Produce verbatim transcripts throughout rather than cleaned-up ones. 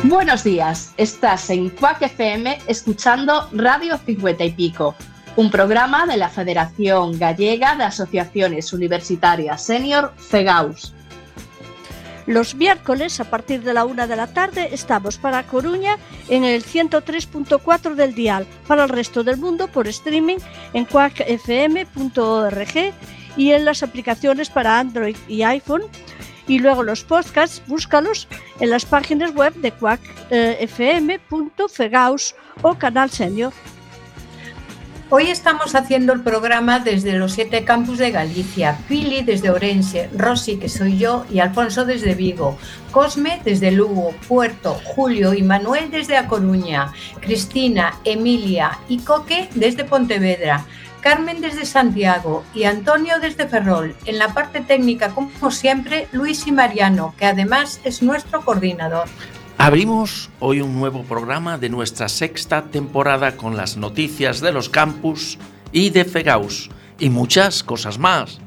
Buenos días, estás en Cuac F M escuchando Radio Cincuenta y Pico, un programa de la Federación Gallega de Asociaciones Universitarias Senior, FEGAUS. Los miércoles, a partir de la una de la tarde, estamos para Coruña en el ciento tres punto cuatro del dial, para el resto del mundo por streaming en cuac f m punto org y en las aplicaciones para Android y iPhone. Y luego los podcasts, búscalos en las páginas web de cuac f m punto fegaus o Canal Senior. Hoy estamos haciendo el programa desde los siete campus de Galicia. Pili desde Ourense, Rosy, que soy yo, y Alfonso desde Vigo, Cosme desde Lugo, Puerto, Julio y Manuel desde A Coruña, Cristina, Emilia y Coque desde Pontevedra, Carmen desde Santiago y Antonio desde Ferrol. En la parte técnica, como siempre, Luis y Mariano, que además es nuestro coordinador. Abrimos hoy un nuevo programa de nuestra sexta temporada con las noticias de los campus y de FEGAUS y muchas cosas más.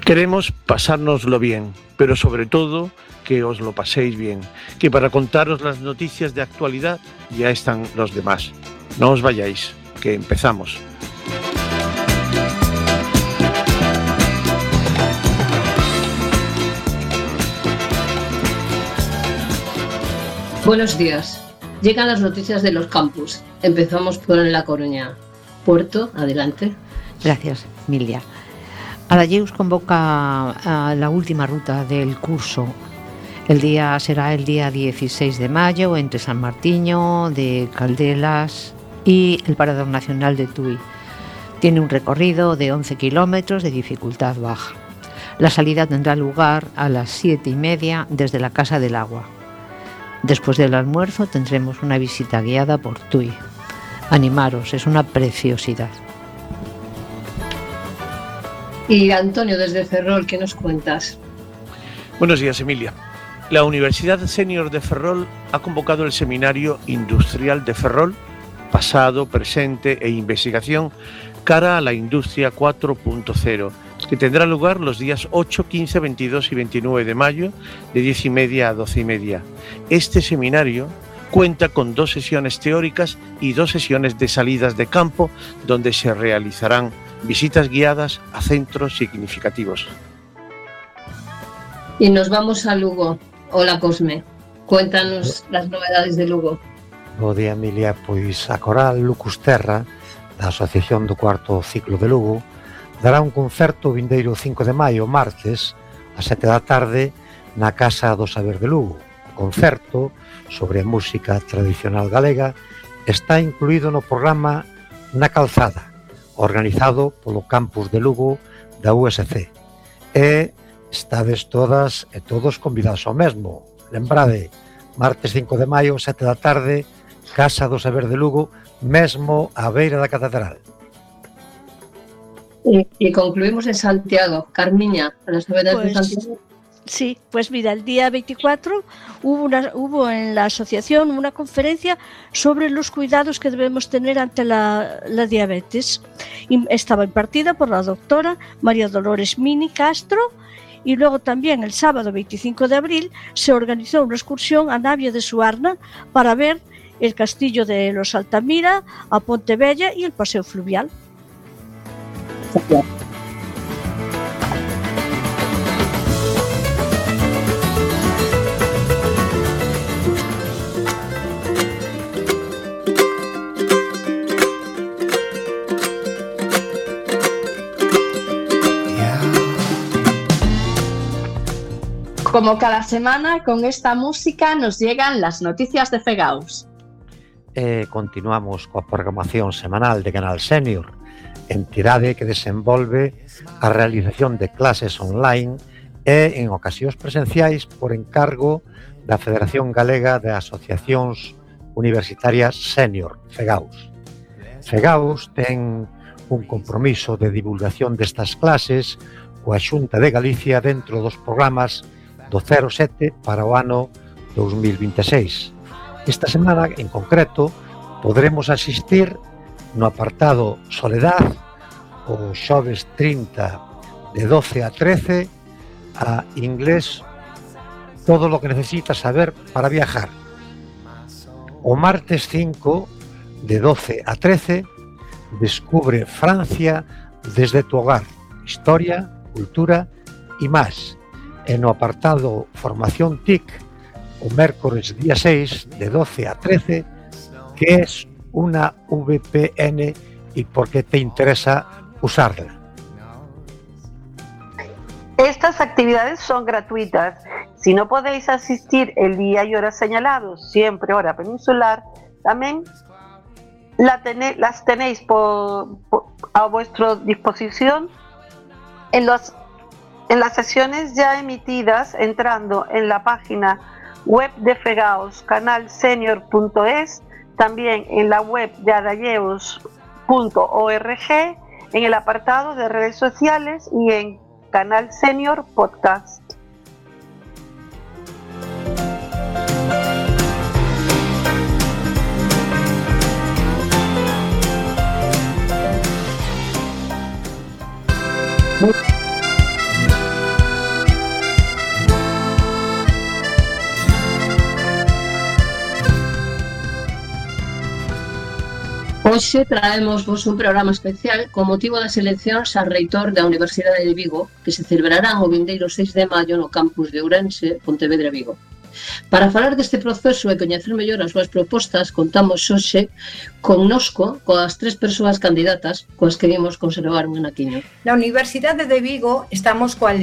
Queremos pasárnoslo bien, pero sobre todo que os lo paséis bien, que para contaros las noticias de actualidad ya están los demás. No os vayáis, que empezamos. Buenos días. Llegan las noticias de los campus. Empezamos por La Coruña. Puerto, adelante. Gracias, Emilia. Adayeus convoca a la última ruta del curso. El día será el día dieciséis de mayo entre San Martiño de Caldelas y el Parador Nacional de Tui. Tiene un recorrido de once kilómetros de dificultad baja. La salida tendrá lugar a las siete y media desde la Casa del Agua. Después del almuerzo tendremos una visita guiada por Tui. Animaros, es una preciosidad. Y Antonio, desde Ferrol, ¿qué nos cuentas? Buenos días, Emilia. La Universidad Senior de Ferrol ha convocado el Seminario Industrial de Ferrol, pasado, presente e investigación cara a la Industria cuatro punto cero, que tendrá lugar los días ocho, quince, veintidós y veintinueve de mayo, de diez y media a doce y media. Este seminario cuenta con dos sesiones teóricas y dos sesiones de salidas de campo, donde se realizarán visitas guiadas a centros significativos. Y nos vamos a Lugo. Hola, Cosme. Cuéntanos las novedades de Lugo. Bo día, Emilia. Pois a coral Lucusterra, da Asociación do Cuarto Ciclo de Lugo, dará un concerto o vindeiro cinco de maio, martes, a sete da tarde, na Casa do Saber de Lugo. O concerto sobre a música tradicional galega está incluído no programa Na Calzada, organizado polo campus de Lugo da U S C. E estades todas e todos convidados ao mesmo. Lembrade, martes cinco de maio, sete da tarde, Casa do Saber de Lugo, mesmo á beira da catedral. Y, y concluimos en Santiago. Carmiña, a las novedades pues, de Santiago. Sí, pues mira, el día veinticuatro hubo, una, hubo en la asociación una conferencia sobre los cuidados que debemos tener ante la, la diabetes. Y estaba impartida por la doctora María Dolores Mini Castro. Y luego también el sábado veinticinco de abril se organizó una excursión a Navia de Suarna para ver el castillo de los Altamira, a Pontebella y el paseo fluvial. Como cada semana, con esta música nos llegan las noticias de FEGAUS. E continuamos coa programación semanal de Canal Senior, entidade que desenvolve a realización de clases online e en ocasións presenciais por encargo da Federación Galega de Asociacións Universitarias Senior, FEGAUS. FEGAUS ten un compromiso de divulgación destas clases coa Xunta de Galicia dentro dos programas do cero sete para o ano dos mil vinte e seis. Esta semana, en concreto, podremos asistir no apartado Soledad o xoves trinta de doce a trece a inglés todo lo que necesitas saber para viajar. O martes cinco, de doce a trece, descubre Francia desde tu hogar, historia, cultura y más. En o apartado Formación T I C, o mércores día seis, de doce a trece, que es una V P N y por qué te interesa usarla. Estas actividades son gratuitas. Si no podéis asistir el día y hora señalados, siempre hora peninsular, también la tené, las tenéis por, por, a vuestra disposición en, los, en las sesiones ya emitidas, entrando en la página web de FEGAUS, canal senior punto es, también en la web de adayeus punto org, en el apartado de redes sociales y en Canal Senior Podcast. Hoxe traemos vos un programa especial con motivo das eleccións a reitor da Universidade de Vigo, que se celebrarán o vindeiro seis de maio no campus de Ourense, Pontevedra e Vigo. Para falar deste proceso e coñecer mellor as súas propostas, contamos hoxe connosco coas tres persoas candidatas coas que vimos conservar un anaquiño. Na Universidade de Vigo estamos coas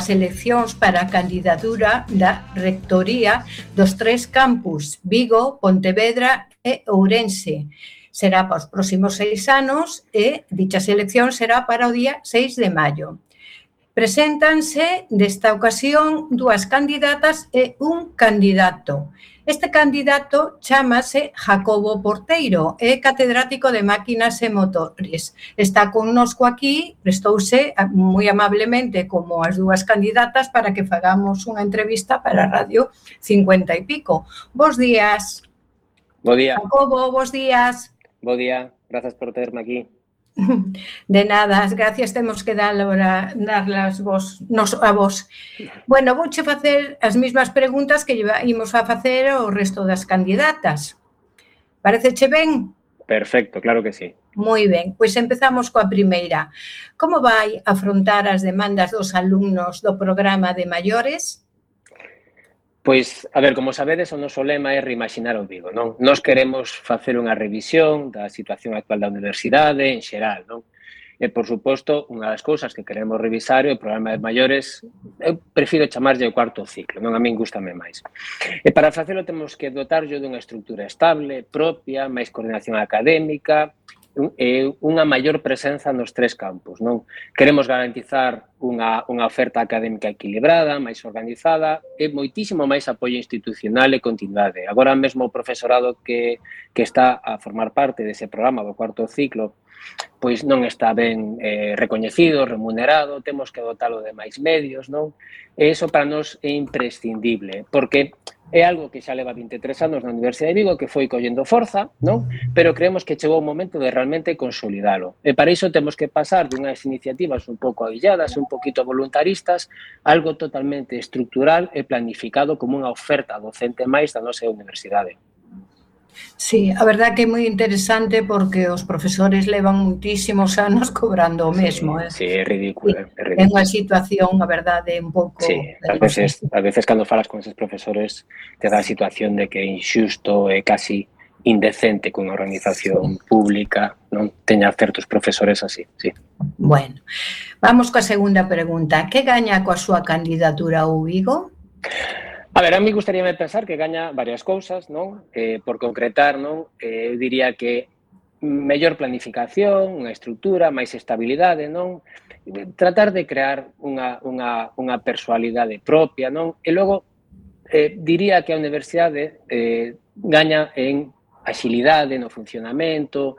eleccións para a candidatura da rectoría dos tres campus, Vigo, Pontevedra e Ourense. Será para os próximos seis anos e dicha selección será para o día seis de maio. Preséntanse desta ocasión dúas candidatas e un candidato. Este candidato chámase Jacobo Porteiro, é catedrático de máquinas e motores. Está connosco aquí, prestouse moi amablemente como as dúas candidatas para que fagamos unha entrevista para a Radio cincuenta e pico. Bos días. Bo día. Jacobo, bos días. Bo día, grazas por terme aquí. De nada, as gracias temos que darlas vos, nos, a vos. Bueno, vouche facer as mesmas preguntas que ímos a facer ao resto das candidatas. Pareceche ben? Perfecto, claro que sí. Moi ben, pois empezamos coa primeira. Como vai afrontar as demandas dos alumnos do programa de maiores? Pois, a ver, como sabedes, o noso lema é reimaxinar o Vigo, non? Nós queremos facer unha revisión da situación actual da universidade en xeral, non? E, por suposto, unha das cousas que queremos revisar é o programa de maiores, eu prefiro chamarlle o cuarto ciclo, non? A min gústame máis. E para facelo temos que dotarlle dunha estrutura estable, propia, máis coordinación académica, e unha maior presenza nos tres campos, non? Queremos garantizar unha, unha oferta académica equilibrada, máis organizada e moitísimo máis apoio institucional e continuidade. Agora mesmo o profesorado que, que está a formar parte dese programa do cuarto ciclo pois non está ben eh, recoñecido, remunerado, temos que dotalo de máis medios, non? E iso para nós é imprescindible, porque é algo que xa leva vinte e tres anos na Universidade de Vigo, que foi collendo forza, non? Pero creemos que chegou o momento de realmente consolidalo. E para iso temos que pasar dunhas iniciativas un pouco avilladas, un poquito voluntaristas, algo totalmente estructural e planificado como unha oferta docente máis da nosa universidade. Sí, a verdad que é moi interesante porque os profesores levan muitísimos anos cobrando o mesmo. Sí, eh? sí é ridículo. É, ridículo. É unha situación, a verdade, un pouco... Sí, ás veces, ás veces cando falas con esos profesores te dá a situación de que é injusto e casi indecente que unha organización pública non teña certos profesores así, sí. Bueno, vamos coa segunda pregunta. Que gaña coa súa candidatura ao Vigo? A ver, a mí gustaríame pensar que gaña varias cousas, non? Eh, por concretar, non? Eh, eu diría que mellor planificación, unha estrutura, máis estabilidade, non? Tratar de crear unha, unha, unha personalidade propia, non? E logo, eh, diría que a universidade eh, gaña en axilidade no funcionamento,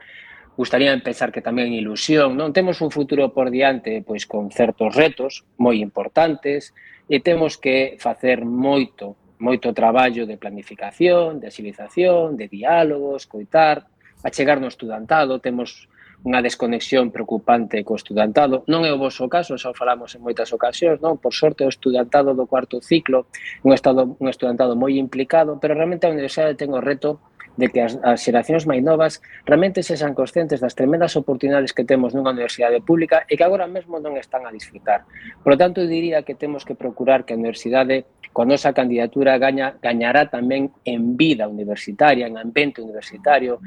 gustaría pensar que tamén ilusión, non? Temos un futuro por diante pois con certos retos moi importantes, e temos que facer moito, moito traballo de planificación, de axilización, de diálogo, escoitar, achegar no estudantado, temos unha desconexión preocupante co estudantado. Non é o voso caso, xa o falamos en moitas ocasións, non? Por sorte, o estudantado do cuarto ciclo un, estado, un estudantado moi implicado, pero realmente a universidade ten o reto de que as, as xeracións máis novas realmente sexan conscientes das tremendas oportunidades que temos nunha universidade pública e que agora mesmo non están a disfrutar. Por lo tanto, eu diría que temos que procurar que a universidade, coa nosa candidatura, gaña, gañará tamén en vida universitaria, en ambiente universitario,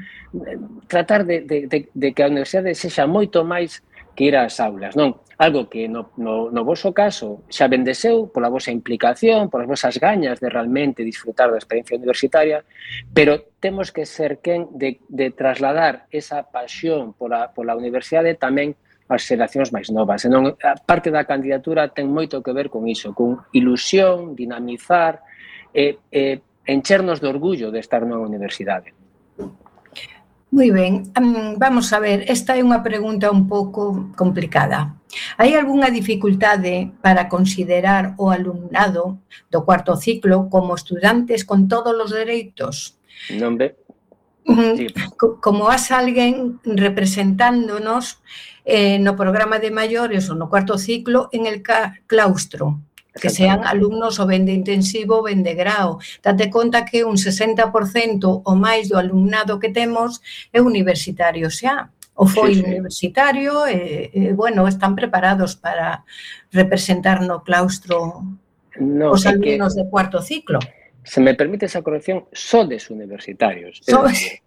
tratar de, de, de, de que a universidade sexa moito máis que ir ás aulas, non? Algo que no, no, no voso caso xa bendeseu pola vosa implicación, polas vosas gañas de realmente disfrutar da experiencia universitaria, pero temos que ser quen de, de trasladar esa pasión pola, pola universidade tamén ás xeracións máis novas. Senón, a parte da candidatura ten moito que ver con iso, con ilusión, dinamizar, e, e enchernos de orgullo de estar nunha universidade. Moi ben, um, vamos a ver, esta é unha pregunta un pouco complicada. Hai algunha dificultade para considerar o alumnado do cuarto ciclo como estudantes con todos os dereitos? Non ve? Sí. Como as alguén representándonos eh, no programa de maiores ou no cuarto ciclo en el claustro, que sean alumnos o ben de intensivo ou ben de grao. Date conta que un sesenta por cento ou máis do alumnado que temos é universitario xa, ou foi sí, sí. universitario e, e, bueno, están preparados para representar no claustro no, os alumnos de cuarto ciclo. Se me permite esa corrección, sodes universitarios. Sodes.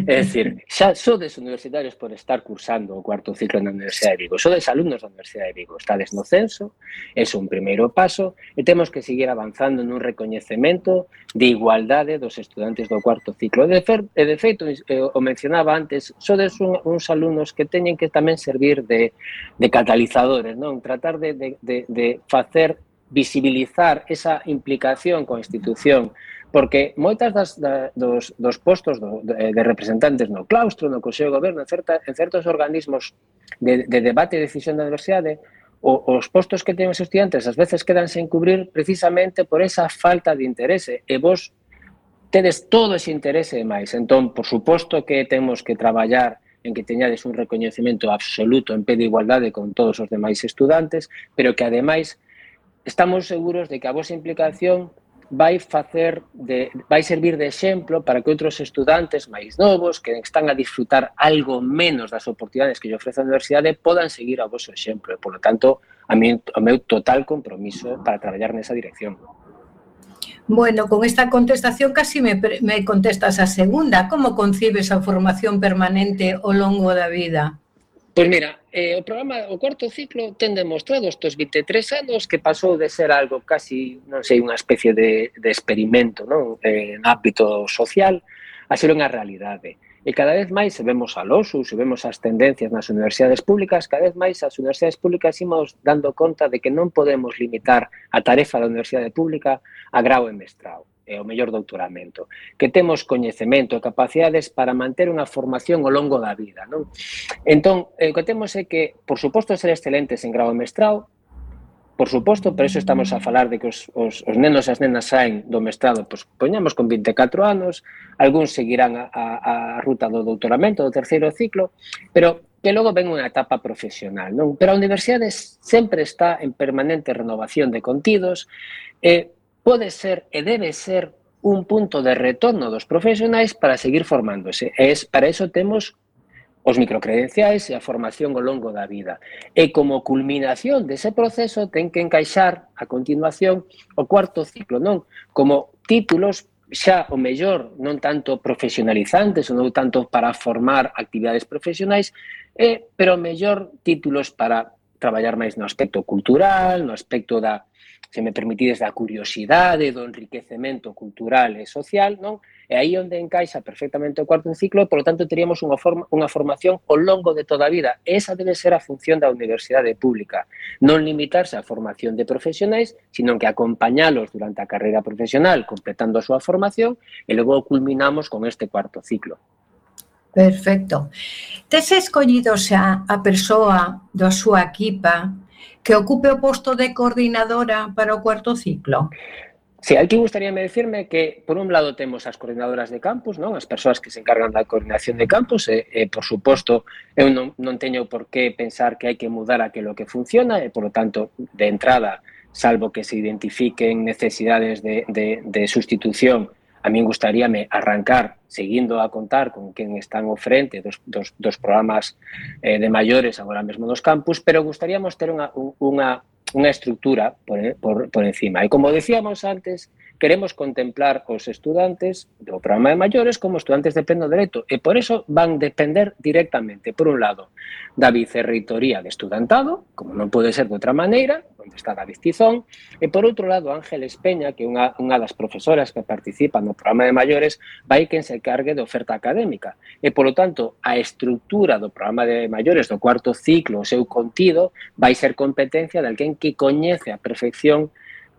É dicir, xa sodes universitarios por estar cursando o cuarto ciclo na Universidade de Vigo. Sodes alumnos da Universidade de Vigo. Estades no censo, é un primeiro paso e temos que seguir avanzando nun recoñecemento de igualdade dos estudantes do cuarto ciclo. E de, fer, e de feito, o mencionaba antes, sodes un, uns alumnos que teñen que tamén servir de, de catalizadores, non? Tratar de, de, de, de facer visibilizar esa implicación coa institución, porque moitas das, da, dos, dos postos do, de, de representantes no claustro, no Consello de Goberno, en, certa, en certos organismos de, de debate e decisión da universidade, o, os postos que ten os estudiantes ás veces quedan sen cubrir precisamente por esa falta de interese, e vos tedes todo ese interese e máis. Entón, por suposto que temos que traballar en que teñades un recoñecemento absoluto en pé de igualdade con todos os demais estudantes, pero que ademais estamos seguros de que a vosa implicación vai facer de, vai servir de exemplo para que outros estudantes máis novos que están a disfrutar algo menos das oportunidades que lle ofrece a universidade podan seguir a vosso exemplo. E, por lo tanto, a mí, o meu total compromiso para traballar nesa dirección. Bueno, con esta contestación casi me, me contestas a segunda. Como concibes a formación permanente ao longo da vida? Pois mira, eh, o programa, o cuarto ciclo ten demostrado estes vinte e tres anos que pasou de ser algo casi, non sei, unha especie de, de experimento, non? Eh, en ámbito social, a ser unha realidade. E cada vez máis, se vemos a LOSU, se vemos as tendencias nas universidades públicas, cada vez máis as universidades públicas imos dando conta de que non podemos limitar a tarefa da universidade pública a grau e mestrado, e o mellor doutoramento, que temos coñecemento e capacidades para manter unha formación ao longo da vida, non? Entón, o que temos é que, por suposto, ser excelentes en grau e mestrado, por suposto, por eso estamos a falar de que os, os, os nenos e as nenas saen do mestrado, pois poñamos con vinte e catro anos, algúns seguirán a, a, a ruta do doutoramento, do terceiro ciclo, pero que logo ven unha etapa profesional, non? Pero a universidade sempre está en permanente renovación de contidos e pode ser e debe ser un punto de retorno dos profesionais para seguir formándose. E es, para eso temos os microcredenciais e a formación ao longo da vida. E como culminación dese proceso ten que encaixar a continuación o cuarto ciclo, non? Como títulos xa o mellor non tanto profesionalizantes ou non tanto para formar actividades profesionais, eh, pero o mellor títulos para traballar máis no aspecto cultural, no aspecto da, se me permitides, da curiosidade, do enriquecemento cultural e social, non? E aí onde encaixa perfectamente o cuarto ciclo, por lo tanto, teríamos unha, forma, unha formación ao longo de toda a vida. Esa debe ser a función da universidade pública. Non limitarse á formación de profesionais, sino que acompañalos durante a carreira profesional, completando a súa formación, e logo culminamos con este cuarto ciclo. Perfecto. Tes escollido xa a persoa da súa equipa que ocupe o posto de coordinadora para o cuarto ciclo? Sí, aquí gustaríame decirme que, por un lado, temos as coordinadoras de campus, non? As persoas que se encargan da coordinación de campus, e, e por suposto, eu non, non teño por que pensar que hai que mudar aquilo que funciona, e, por lo tanto, de entrada, salvo que se identifiquen necesidades de, de, de sustitución, a min gustaríame arrancar seguindo a contar con quen están ao frente dos, dos, dos programas eh, de maiores agora mesmo nos campus, pero gustaríamos ter unha, unha unha estructura por, por, por encima. E como decíamos antes, queremos contemplar os estudantes do programa de maiores como estudantes de pleno dereito e por eso van depender directamente, por un lado, da vicerreitoría de estudantado, como non pode ser de outra maneira, onde está David Tizón, e por outro lado, Ángeles Peña, que é unha, unha das profesoras que participan no programa de maiores, vai quen se cargue de oferta académica. E, polo tanto, a estrutura do programa de maiores do cuarto ciclo, o seu contido, vai ser competencia de alguén que coñece a perfección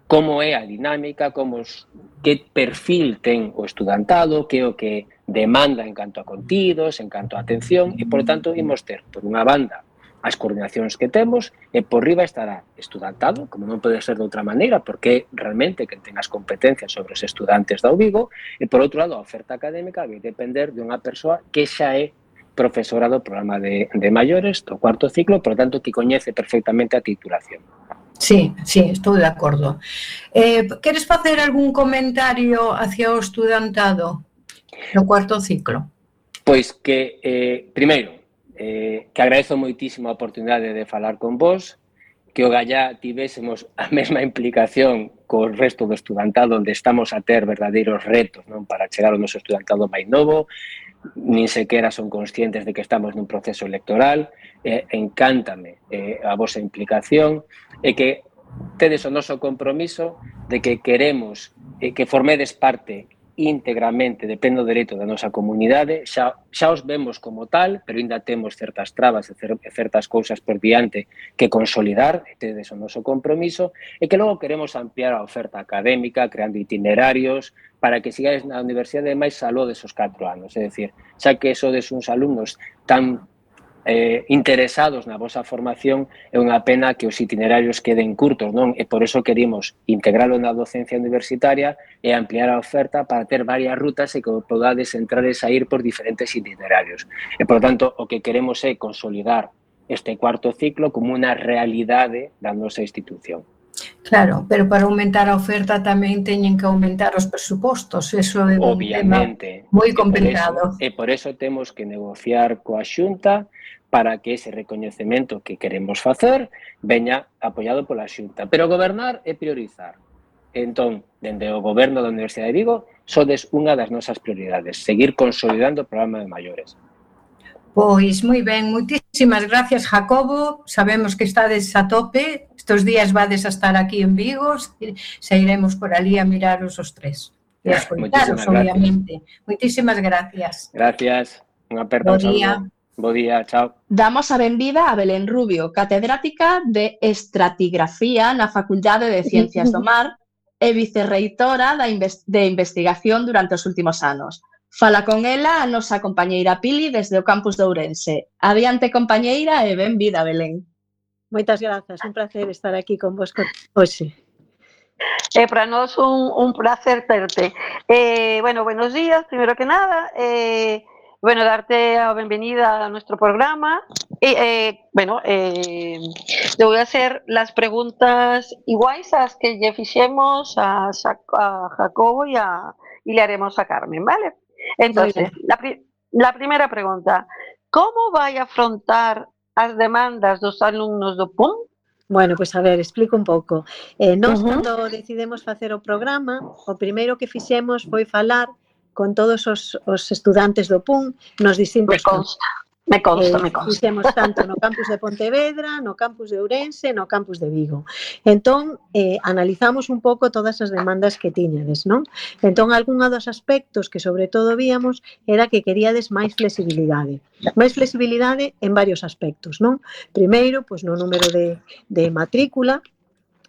como é a dinámica, como os, que perfil ten o estudantado, que é o que demanda en canto a contidos, en canto a atención, e, por tanto, imos ter, por unha banda, as coordinacións que temos, e por riba estará estudantado, como non pode ser de outra maneira, porque realmente que ten as competencias sobre os estudantes da U Vigo, e, por outro lado, a oferta académica vai depender de unha persoa que xa é profesora do programa de, de maiores, do cuarto ciclo, por tanto, que coñece perfectamente a titulación. Sí, sí, estou de acordo. Eh, queres facer algún comentario hacia o estudantado no cuarto ciclo? Pois que, eh, primeiro, eh, que agradezo moitísimo a oportunidade de falar con vos, que o Gallá tivésemos a mesma implicación co resto do estudantado, onde estamos a ter verdadeiros retos, non, para chegar ao noso estudantado máis novo, nin sequera son conscientes de que estamos nun proceso electoral, eh, encántame eh, a vosa implicación, e que tedes o noso compromiso de que queremos eh, que formedes parte íntegramente de pleno dereito da nosa comunidade, xa, xa os vemos como tal, pero ainda temos certas trabas e certas cousas por diante que consolidar, e tedes o noso compromiso, e que logo queremos ampliar a oferta académica, creando itinerarios, para que sigades na universidade máis aló desos catro anos, é dicir, xa que sodes uns alumnos tan eh, interesados na vosa formación, é unha pena que os itinerarios queden curtos, non? E por eso querimos integralo na docencia universitaria e ampliar a oferta para ter varias rutas e que podades entrar e sair por diferentes itinerarios. E, por tanto, o que queremos é consolidar este cuarto ciclo como unha realidade da nosa institución. Claro, pero para aumentar a oferta tamén teñen que aumentar os presupostos, eso é un Obviamente, tema moi complicado. E por eso, e por eso temos que negociar coa Xunta para que ese recoñecemento que queremos facer veña apoiado pola Xunta. Pero gobernar é priorizar. Entón, dende o goberno da Universidade de Vigo, sodes unha das nosas prioridades, seguir consolidando o programa de maiores. Pois moi ben, moitísimas gracias, Jacobo. Sabemos que estades a tope, estes días vades a estar aquí en Vigo, se iremos por ali a miraros os tres. E a escoitaros, obviamente. Moitísimas gracias. Gracias, unha aperta, un saludo. Bo día, chao. Damos a benvida a Belén Rubio, catedrática de Estratigrafía na Facultade de Ciencias do Mar e vicerreitora de investigación durante os últimos anos. Fala con ela a nosa compañeira Pili desde o campus de Ourense. Adiante, compañeira, e benvida, Belén. Moitas grazas, un placer estar aquí con vos hoxe. Eh, para nós un, un placer terte. Eh, bueno, buenos días, primero que nada. Eh, bueno, darte la bienvenida a nuestro programa. Eh, eh, bueno, eh, le voy a hacer las preguntas iguais a las que ya fixemos a, a Jacobo y, a, y le haremos a Carmen, ¿vale? Entonces, la, pri la primera pregunta, ¿cómo vai a afrontar as demandas dos alumnos do P U M? Bueno, pois pues a ver, explico un pouco. Eh, nós, uh -huh. cando decidimos facer o programa, o primeiro que fixemos foi falar con todos os, os estudantes do P U M nos distintos campos. Me consta, eh, me consta. Fixemos tanto no campus de Pontevedra, no campus de Ourense, no campus de Vigo. Entón, eh, analizamos un pouco todas as demandas que tiñades, non? Entón, algúns dos aspectos que sobre todo víamos era que queríades máis flexibilidade. Máis flexibilidade en varios aspectos, non? Primeiro, pois no número de, de matrícula,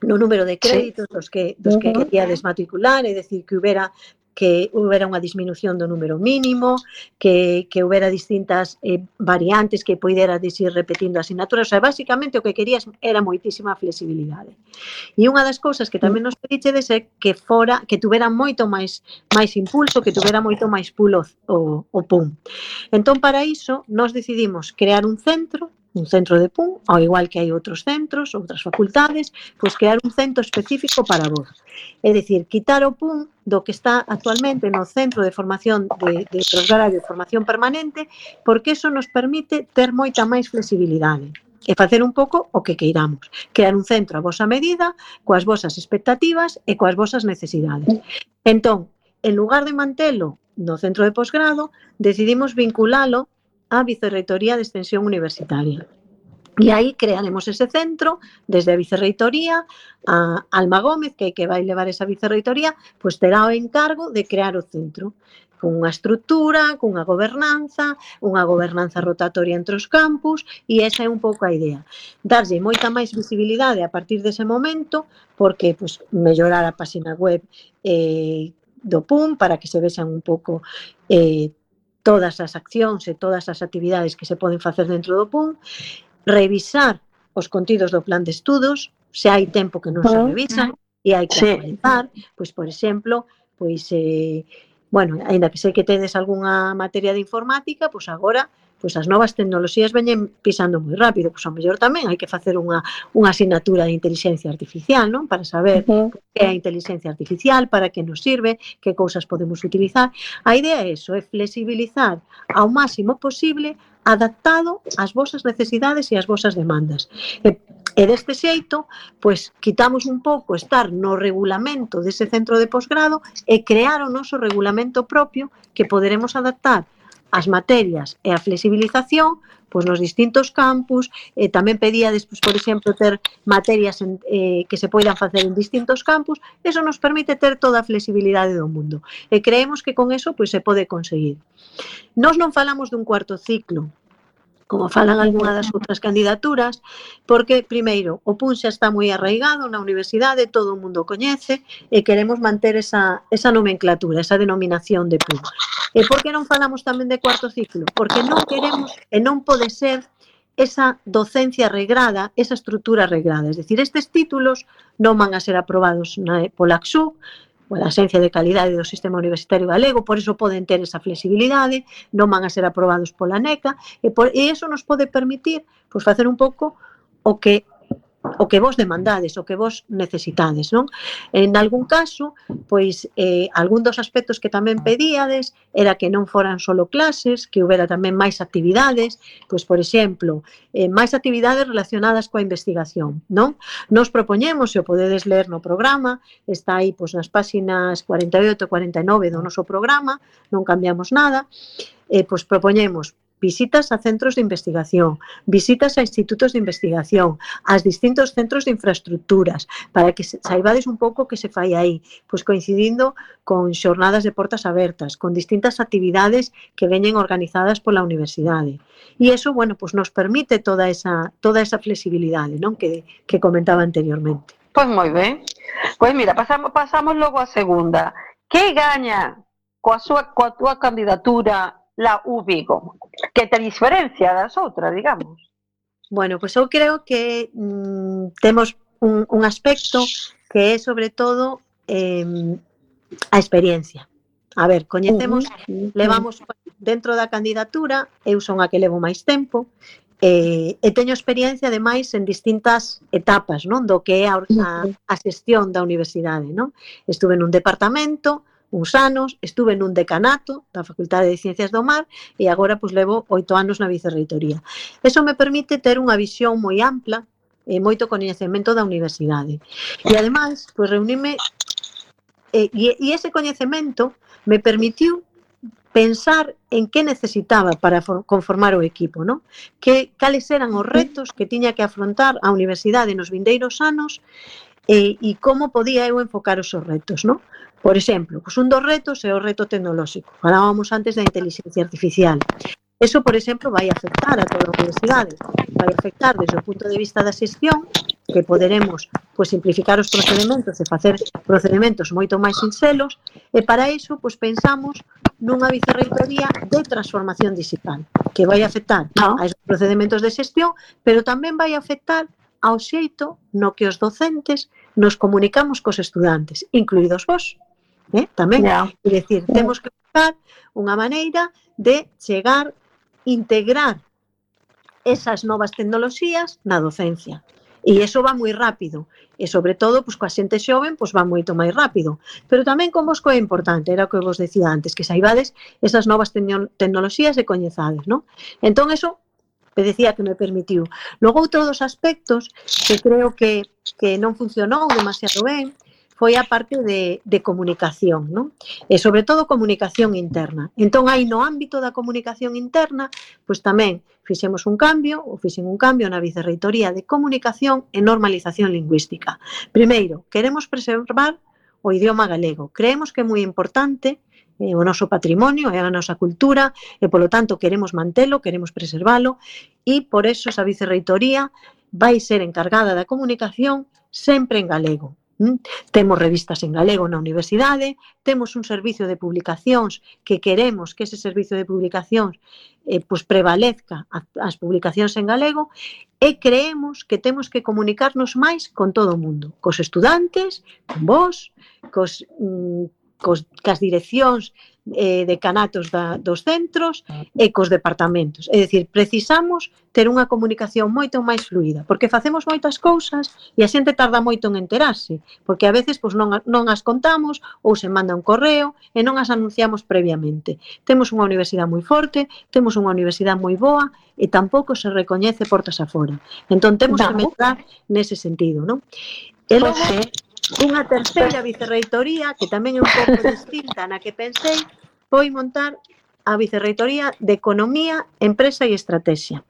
no número de créditos dos que, dos que queríades matricular, é dicir, que houbera que houbera unha disminución do número mínimo, que, que houbera distintas eh, variantes que poidera ir repetindo asignaturas. O sea, basicamente o que querías era moitísima flexibilidade. E unha das cousas que tamén nos pedichedes é que fora, que tuvera moito máis máis impulso, que tuvera moito máis pulo o, o P U M. Entón, para iso, nós decidimos crear un centro, un centro de P U M, ao igual que hai outros centros, outras facultades, pois crear un centro específico para vos. É dicir, quitar o P U M do que está actualmente no Centro de Formación de, de Posgrado de Formación Permanente, porque eso nos permite ter moita máis flexibilidade e facer un pouco o que queiramos. Crear un centro a vosa medida, coas vosas expectativas e coas vosas necesidades. Entón, en lugar de mantelo no centro de posgrado, decidimos vinculalo á Vicerreitoría de Extensión Universitaria. E aí crearemos ese centro, desde a Vicerreitoría, a Alma Gómez, que, que vai levar esa Vicerreitoría, pois terá o encargo de crear o centro, con unha estrutura, con unha gobernanza, unha gobernanza rotatoria entre os campus, e esa é un pouco a idea. Darlle moita máis visibilidade a partir dese momento, porque pois, mellorar a página web eh, do P U M, para que se vexan un pouco eh, todas as accións e todas as actividades que se poden facer dentro do P U M, revisar os contidos do plan de estudos, se hai tempo que non se revisan e hai que actualizar, pois, por exemplo, pois, eh, bueno, ainda que sei que tedes algunha materia de informática, pois agora, pois as novas tecnoloxías veñen pisando moi rápido, pois ao mellor tamén hai que facer unha, unha asignatura de inteligencia artificial, non? Para saber uh-huh. que é a inteligencia artificial, para que nos sirve, que cousas podemos utilizar. A idea é eso, é flexibilizar ao máximo posible, adaptado ás vosas necesidades e ás vosas demandas. E, e deste xeito, pois, quitamos un pouco estar no regulamento dese centro de posgrado e crear o noso regulamento propio que poderemos adaptar as materias e a flexibilización pois nos distintos campus. E tamén pedíades, pois, por exemplo, ter materias en, eh, que se poidan facer en distintos campus. Eso nos permite ter toda a flexibilidade do mundo. E creemos que con eso pois, se pode conseguir. Nós non falamos dun cuarto ciclo, como falan algunha das outras candidaturas, porque, primeiro, o P U M xa está moi arraigado na universidade, todo o mundo coñece, e queremos manter esa, esa nomenclatura, esa denominación de P U M. E por que non falamos tamén de cuarto ciclo? Porque non queremos, e non pode ser, esa docencia regrada, esa estrutura regrada. Es decir, estes títulos non van a ser aprobados na, pola A C S U, pola Axencia de Calidade do Sistema Universitario Galego, por iso poden ter esa flexibilidade, non van a ser aprobados pola NECA, e, por, e iso nos pode permitir pois, facer un pouco o que o que vos demandades, o que vos necesitades, non? En algún caso, pois, eh, algún dos aspectos que tamén pedíades era que non foran solo clases, que houbera tamén máis actividades, pois, por exemplo, eh, máis actividades relacionadas coa investigación, non? Nos propoñemos, se o podedes ler no programa, está aí, pois, nas páxinas cuarenta e oito e cuarenta e nove do noso programa, non cambiamos nada, eh, pois, propoñemos visitas a centros de investigación, visitas a institutos de investigación, aos distintos centros de infraestructuras, para que saibades un pouco que se fai aí, pois coincidindo con xornadas de portas abertas, con distintas actividades que veñen organizadas pola universidade. E iso, bueno, pois nos permite toda esa, toda esa flexibilidade, non? Que, que comentaba anteriormente. Pois moi ben. Pois mira, pasamos, pasamos logo a segunda. Que gaña coa, súa, coa túa candidatura la U Vigo? Que te diferencia das outras, digamos? Bueno, pois eu creo que mm, temos un, un aspecto que é, sobre todo, eh, a experiencia. A ver, coñecemos, uh-huh. levamos dentro da candidatura, eu son a que levo máis tempo, eh, e teño experiencia, ademais, en distintas etapas, non? Do que é a, a, a xestión da universidade, non? Estuve nun departamento, uns anos, estuve nun decanato da Facultade de Ciencias do Mar e agora pois levo oito anos na Vicerreitoría. Eso me permite ter unha visión moi ampla e moito coñecemento da universidade. E ademais, pois reunime e, e ese coñecemento me permitiu pensar en que necesitaba para conformar o equipo, non? Que cales eran os retos que tiña que afrontar a universidade nos vindeiros anos e, e como podía eu enfocar os retos, non? Por exemplo, pues un dos retos é o reto tecnolóxico. Falábamos antes da inteligencia artificial. Eso, por exemplo, vai afectar a toda a universidade. Vai afectar desde o punto de vista da xestión, que poderemos pois, simplificar os procedementos e facer procedementos moito máis sinxelos, e para iso pois, pensamos nunha vicerreitoría de transformación digital, que vai afectar a esos procedementos de xestión, pero tamén vai afectar ao xeito no que os docentes nos comunicamos cos estudantes, incluídos vos, eh? tamén. Yeah. É dicir, temos que buscar unha maneira de chegar, integrar esas novas tecnoloxías na docencia. E iso va moi rápido. E, sobre todo, pois, coa xente xoven, pois, va moito máis rápido. Pero tamén con vos é importante, era o que vos decía antes, que saibades esas novas tecnoloxías e coñezades, non? Entón, eso, me decía que me permitiu. Logo, outro dos aspectos que creo que, que non funcionou demasiado ben, foi a parte de, de comunicación, non? E, sobre todo, comunicación interna. Entón, aí no ámbito da comunicación interna, pois tamén fixemos un cambio, ou fixen un cambio na Vicerreitoría de Comunicación e Normalización Lingüística. Primeiro, queremos preservar o idioma galego. Creemos que é moi importante, é o noso patrimonio, é a nosa cultura, e, polo tanto, queremos mantelo, queremos preservalo, e, por eso, esa Vicerreitoría vai ser encargada da comunicación sempre en galego. ¿Mm? Temos revistas en galego na universidade, temos un servicio de publicacións que queremos que ese servicio de publicacións eh, pues prevalezca as publicacións en galego, e creemos que temos que comunicarnos máis con todo o mundo, cos estudantes, con vos, cos, mm, cos, cas direccións eh, decanatos da, dos centros e cos departamentos. É dicir, precisamos ter unha comunicación moito máis fluida, porque facemos moitas cousas e a xente tarda moito en enterarse, porque a veces pois, non, non as contamos ou se manda un correo e non as anunciamos previamente. Temos unha universidade moi forte, temos unha universidade moi boa e tampouco se recoñece portas afora. Entón, temos que medrar nese sentido, non? E logo, unha terceira vicerreitoría, que tamén é un pouco distinta na que pensei, foi montar a Vicerreitoría de Economía, Empresa e Estrategia.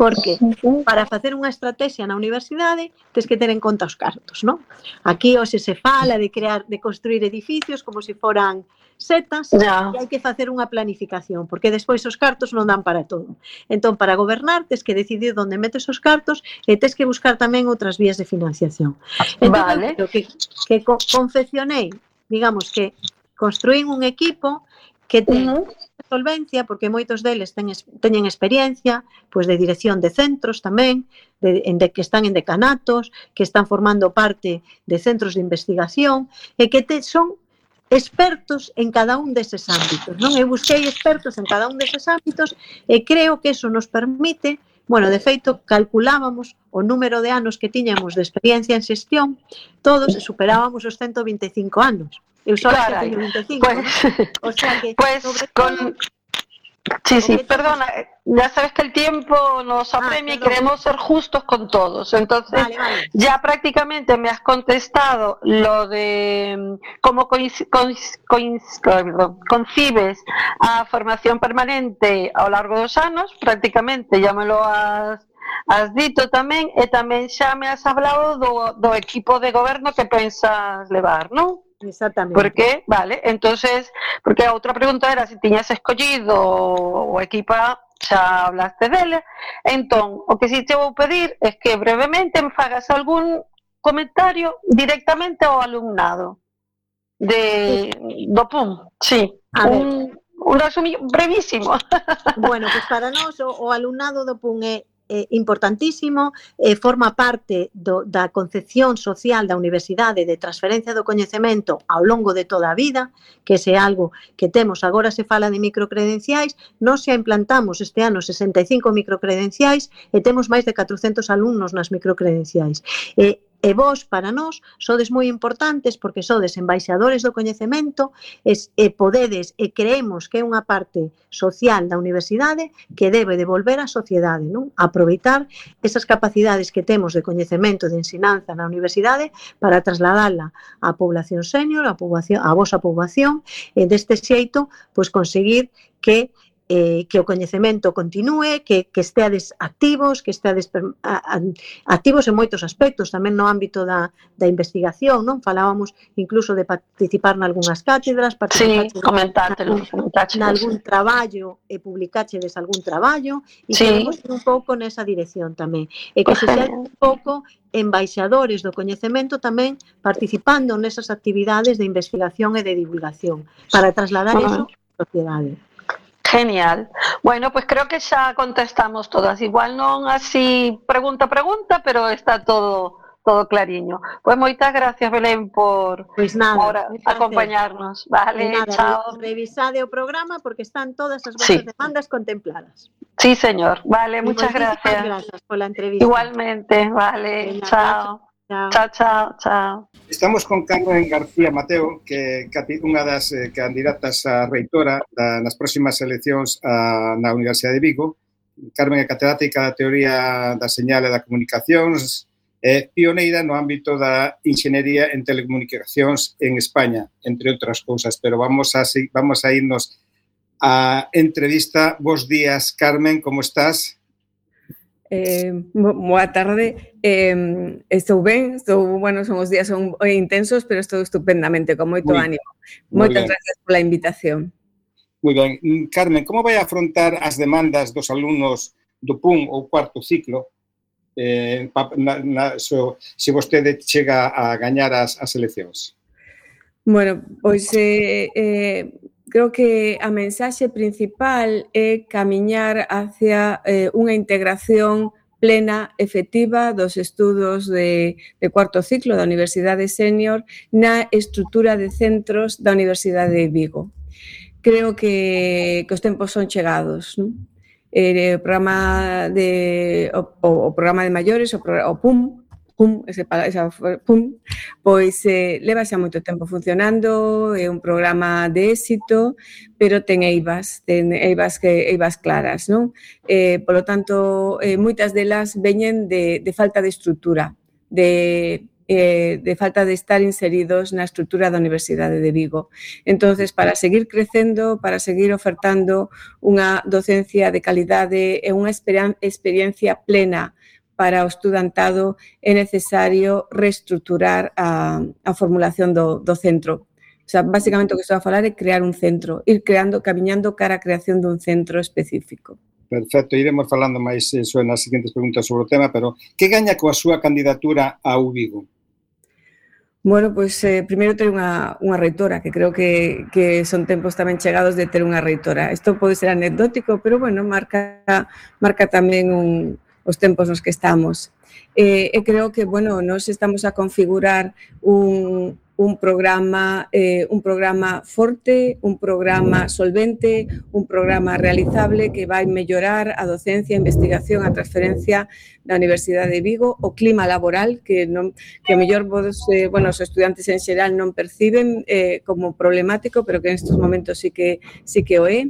Porque para facer unha estrategia na universidade tens que ter en conta os cartos, non? Aquí hoxe se fala de crear, de construir edificios como se foran setas, yeah. E hai que facer unha planificación, porque despois os cartos non dan para todo. Entón, para gobernar, tens que decidir onde metes os cartos e tens que buscar tamén outras vías de financiación. Entón, vale. que, que confeccionei, digamos que construín un equipo que ten uh-huh. solvencia, porque moitos deles ten, teñen experiencia pois de dirección de centros tamén, de, de, que están en decanatos, que están formando parte de centros de investigación, e que te, son expertos en cada un deses ámbitos, non? Eu busquei expertos en cada un deses ámbitos e creo que eso nos permite, bueno, de feito, calculábamos o número de anos que tiñamos de experiencia en xestión, todos superábamos os ciento vinte e cinco anos. Eu só Carai, teño vinte e cinco, pues, ¿no? O sea que, pues sobre con... todo... Sí, sí, perdona, ya sabes que el tiempo nos apremia ah, y queremos ser justos con todos. Entonces, vale, vale. Ya prácticamente me has contestado lo de cómo coinc coinc coinc concibes a formación permanente ao largo dos anos, prácticamente ya me lo has, has dito tamén, e tamén xa me has hablado do, do equipo de goberno que pensas levar, non? Exactamente. Porque, vale, entonces, porque a outra pregunta era se tiñas escollido o equipa, xa hablaste dele. Entón, o que si te vou pedir é que brevemente me fagas algún comentario directamente ao alumnado de do P U M, sí, a un, un resumo brevísimo. Bueno, pues para nós o, o alumnado do P U M é Eh, importantísimo, eh, forma parte do, da concepción social da universidade de transferencia do coñecemento ao longo de toda a vida, que ese é algo que temos. Agora se fala de microcredenciais, nós xa implantamos este ano sesenta e cinco microcredenciais e temos máis de catrocentos alumnos nas microcredenciais. E E vos, para nós, sodes moi importantes porque sodes embaixadores do coñecemento e, e podedes e creemos que é unha parte social da universidade que debe devolver á sociedade, non? Aproveitar esas capacidades que temos de coñecemento de ensinanza na universidade para trasladala á población senior, á, poboación, á vosa poboación, e deste xeito, pois conseguir que eh, que o coñecemento continúe, que, que esteades activos, que esteades a, a, activos en moitos aspectos, tamén no ámbito da, da investigación, non? Falábamos incluso de participar nalgúnas cátedras, participar Sí, comentátelo, nalgún traballo e publicáchedes algún traballo e Sí. queremos ir un pouco nesa dirección tamén. E que Pues se xa genial. un pouco embaixadores do coñecemento tamén participando nesas actividades de investigación e de divulgación para trasladar Ajá. eso á sociedade. Genial. Bueno, pues creo que xa contestamos todas. Igual non así pregunta a pregunta, pero está todo todo clariño. Pues moitas gracias, Belén, por, Pois nada, por un placer. acompañarnos. E Vale, nada, chao. revisade o programa porque están todas as Sí. vosas demandas contempladas. Sí, señor. Vale, Y muchas moitísimas gracias. gracias pola entrevista. Igualmente, vale. Venga, Chao. chao. Chao, chao, chao. Estamos con Carmen García Mateo, que é unha das eh, candidatas a reitora da, nas próximas eleccións a, na Universidade de Vigo. Carmen é catedrática da teoría da señal e da comunicacións, é pioneira no ámbito da enxeñería en telecomunicacións en España, entre outras cousas, pero vamos a, vamos a irnos a entrevista. Bos días, Carmen, como estás? Eh, boa tarde, eh, estou ben, estou, bueno, son os días son intensos, pero estou estupendamente, con moito Muy, ánimo. muy Moitas ben. gracias pola invitación. Moi ben. Carmen, como vai afrontar as demandas dos alumnos do P U M ou cuarto ciclo eh, na, na, so, se vostede chega a gañar as, as eleccións? Bueno, pois eh, eh, creo que a mensaxe principal é camiñar hacia eh, unha integración plena, efectiva dos estudos de, de cuarto ciclo da Universidade Sénior na estrutura de centros da Universidade de Vigo. Creo que, que os tempos son chegados, non? Eh, o programa de o, o programa de maiores, o, o P U M, P U M, ese, esa, P U M, pois eh, leva xa moito tempo funcionando, é un programa de éxito, pero ten eivas, ten eivas, que, eivas claras, non? Eh, polo tanto, eh, moitas delas veñen de, de falta de estrutura, de, eh, de falta de estar inseridos na estrutura da Universidade de Vigo. Entonces, para seguir crecendo, para seguir ofertando unha docencia de calidade e unha experiencia plena para o estudantado, é necesario reestruturar a, a formulación do, do centro. O sea, basicamente o que estou a falar é crear un centro, ir creando, camiñando cara a creación dun centro específico. Perfecto, iremos falando máis eso nas seguintes preguntas sobre o tema, pero que gaña coa súa candidatura a U Vigo? Bueno, pois eh, primeiro ter unha, unha reitora, que creo que, que son tempos tamén chegados de ter unha reitora. Isto pode ser anecdótico, pero bueno, marca, marca tamén un, os tempos nos que estamos. Eh, e creo que, bueno, nos estamos a configurar un, un programa eh, un programa forte, un programa solvente, un programa realizable que vai mellorar a docencia, a investigación, a transferencia da Universidade de Vigo, o clima laboral que non que a mellor vos, eh, bueno, os estudantes en xeral non perciben eh, como problemático, pero que en estes momentos sí que sí que o é.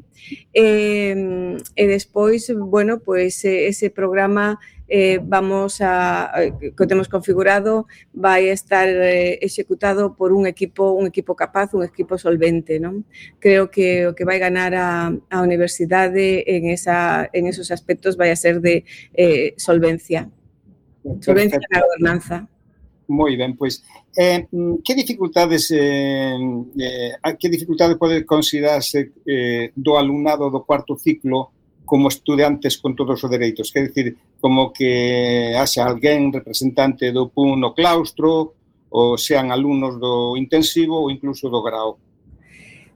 Eh, e despois, bueno, pois eh, ese programa Eh, vamos a, que temos configurado, vai estar eh, executado por un equipo un equipo capaz, un equipo solvente, non? Creo que o que vai ganar a, a universidade en, esa, en esos aspectos vai a ser de eh, solvencia. Solvencia na gobernanza. Moi ben, pois, eh, que dificultades eh, eh, que dificultades pode considerarse eh, do alumnado do cuarto ciclo como estudantes con todos os dereitos? Quer dicir, como que haxa alguén representante do P U M no claustro, ou sean alumnos do intensivo ou incluso do grao.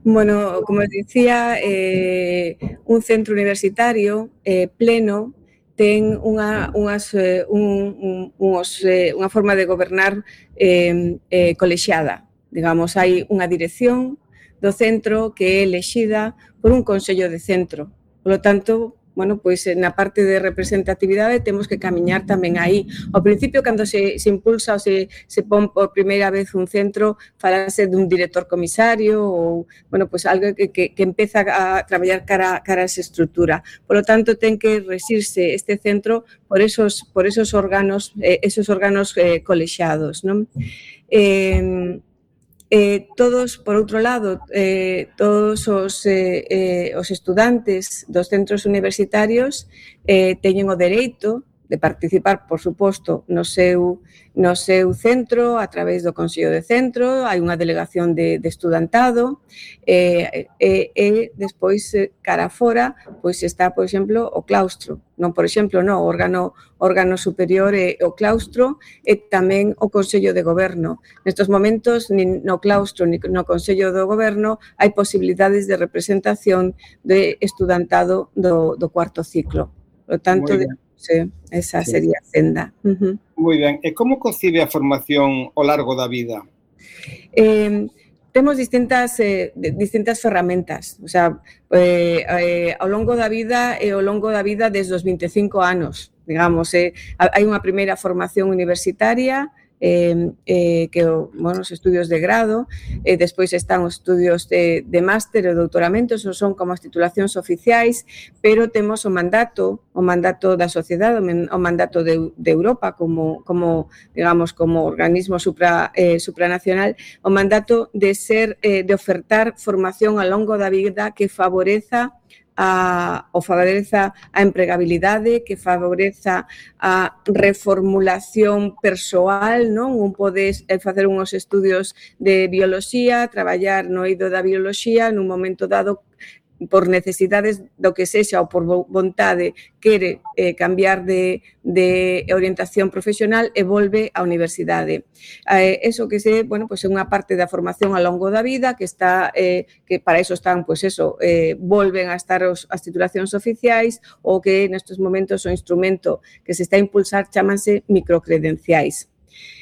Bueno, como dicía, eh, un centro universitario eh, pleno ten unha, unhas, eh, un, un, unos, eh, unha forma de gobernar eh, eh, colexiada. Digamos, hai unha dirección do centro que é elexida por un consello de centro. Por lo tanto, bueno, pois na parte de representatividade temos que camiñar tamén aí. Ao principio, cando se, se impulsa ou se, se pon por primeira vez un centro, falase dun director comisario ou, bueno, pois algo que, que, que empeza a traballar cara, cara a esa estrutura. Por lo tanto, ten que resirse este centro por esos, por esos órganos, eh, esos órganos eh, colexiados, non? Eh, Eh, todos, por outro lado, eh, todos os, eh, eh, os estudantes dos centros universitarios eh, teñen o dereito de participar, por suposto, no seu, no seu centro, a través do Consello de Centro, hai unha delegación de, de estudantado, e, e, e despois, cara fora, pois está, por exemplo, o claustro, non, por exemplo, non, o órgano, órgano superior é o claustro e tamén o Consello de Goberno. Nestes momentos, nin no claustro, nin no Consello do Goberno, hai posibilidades de representación de estudantado do, do cuarto ciclo. Por lo tanto, de, sí, esa sí. sería a senda. Uh-huh. Moi ben. E como concibe a formación ao largo da vida? Eh, temos distintas eh, distintas ferramentas, o sea, eh, eh, ao longo da vida e ao longo da vida desde os vinte e cinco anos, digamos, eh, hai unha primeira formación universitaria, eh, eh, que o, bueno, os estudios de grado, e eh, despois están os estudios de, de máster e doutoramento, esos son como as titulacións oficiais, pero temos o mandato, o mandato da sociedade, o mandato de, de Europa como, como, digamos, como organismo supra, eh, supranacional, o mandato de ser, eh, de ofertar formación ao longo da vida que favoreza a, o favoreza a empregabilidade, que favoreza a reformulación persoal, non? Un pode facer uns estudios de bioloxía, traballar no eido da bioloxía nun momento dado por necesidades do que sexa ou por vontade quere eh, cambiar de, de orientación profesional e volve á universidade. Eh, eso que se, bueno, pues é unha parte da formación ao longo da vida que está, eh, que para eso están, pues eso, eh, volven a estar os, as titulacións oficiais ou que nestes momentos o instrumento que se está a impulsar chamanse microcredenciais.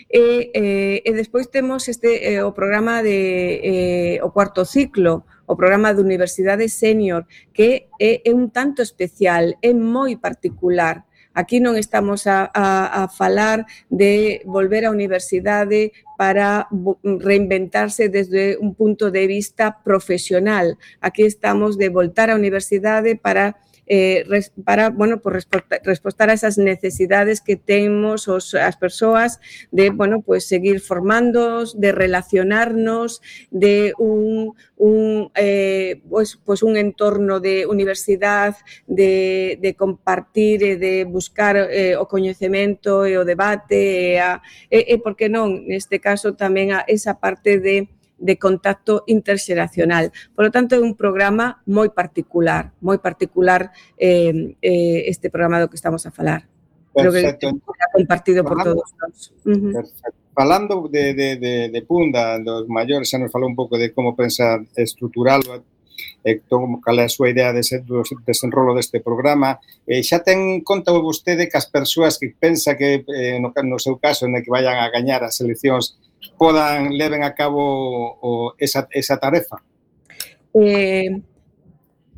E, eh, e despois temos este eh, o programa de eh, o cuarto ciclo, o programa de Universidade Senior, que é, é un tanto especial, é moi particular. Aquí non estamos a, a, a falar de volver á universidade para reinventarse desde un punto de vista profesional. Aquí estamos de voltar á universidade para Eh, res, para, bueno, por respostar a esas necesidades que temos os, as persoas de, bueno, pues seguir formándonos, de relacionarnos, de un, un, eh, pues, pues un entorno de universidade, de, de compartir e de buscar eh, o coñecemento e o debate e, a, e, e, por que non, neste caso, tamén a esa parte de de contacto interxeracional. Por lo tanto, é un programa moi particular, moi particular eh, eh, este programa do que estamos a falar. Perfecto. Creo que é compartido por Falando, todos nós. Uh-huh. Perfecto. Falando de, de, de, de Punda, dos maiores, xa nos falou un pouco de como pensa estruturalo, e como cal é a súa idea de desenrolo deste programa. Eh, xa ten conta vostede que as persoas que pensa que, eh, no, no seu caso, en que vayan a gañar as eleccións, podan leven a cabo o, esa, esa tarefa? Eh,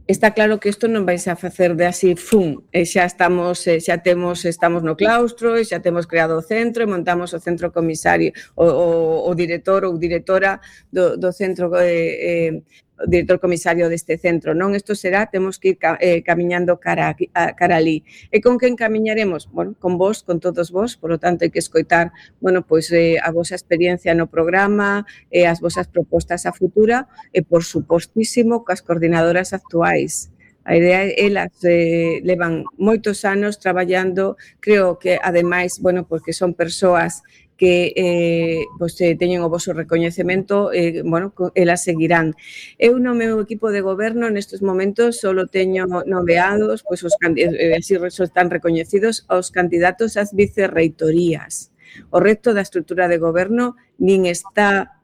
está claro que isto non vais a facer de así, fun, e xa estamos, xa temos, estamos no claustro, e xa temos creado o centro, e montamos o centro comisario, o, o, o director ou directora do, do centro eh, eh, director comisario deste centro, non? Isto será, temos que ir eh, camiñando cara, a, cara ali. E con quen camiñaremos? Bueno, con vos, con todos vos, por lo tanto, hai que escoitar, bueno, pois eh, a vosa experiencia no programa, eh, as vosas propostas a futura, e, por supostísimo, coas coordinadoras actuais. A idea, elas eh, levan moitos anos traballando, creo que, ademais, bueno, porque son persoas que eh, pues, eh, teñen o vosso recoñecemento, eh, bueno, elas seguirán. Eu no meu equipo de goberno nestes momentos solo teño nomeados, pois os eh, así están recoñecidos os candidatos ás vicerreitorías. O resto da estrutura de goberno nin está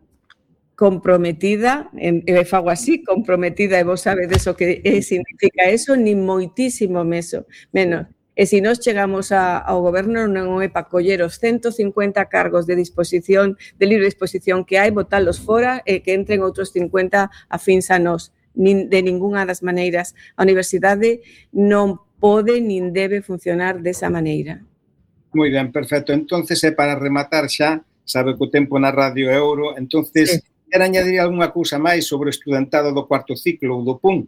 comprometida, e fago así, comprometida, e vos sabedes o que eh, significa eso, nin moitísimo meso, menos. E se nós chegamos a, ao goberno non é para coller os ciento cincuenta cargos de disposición, de libre disposición que hai, botalos fora e que entren outros cincuenta afíns a nós. Nin, de ningunha das maneiras. A universidade non pode nin debe funcionar desa maneira. Moi ben, perfecto. Entonces, é para rematar xa, sabe que o tempo na radio é ouro, entonces, sí. Quer añadir algunha cousa máis sobre o estudantado do cuarto ciclo ou do P U M?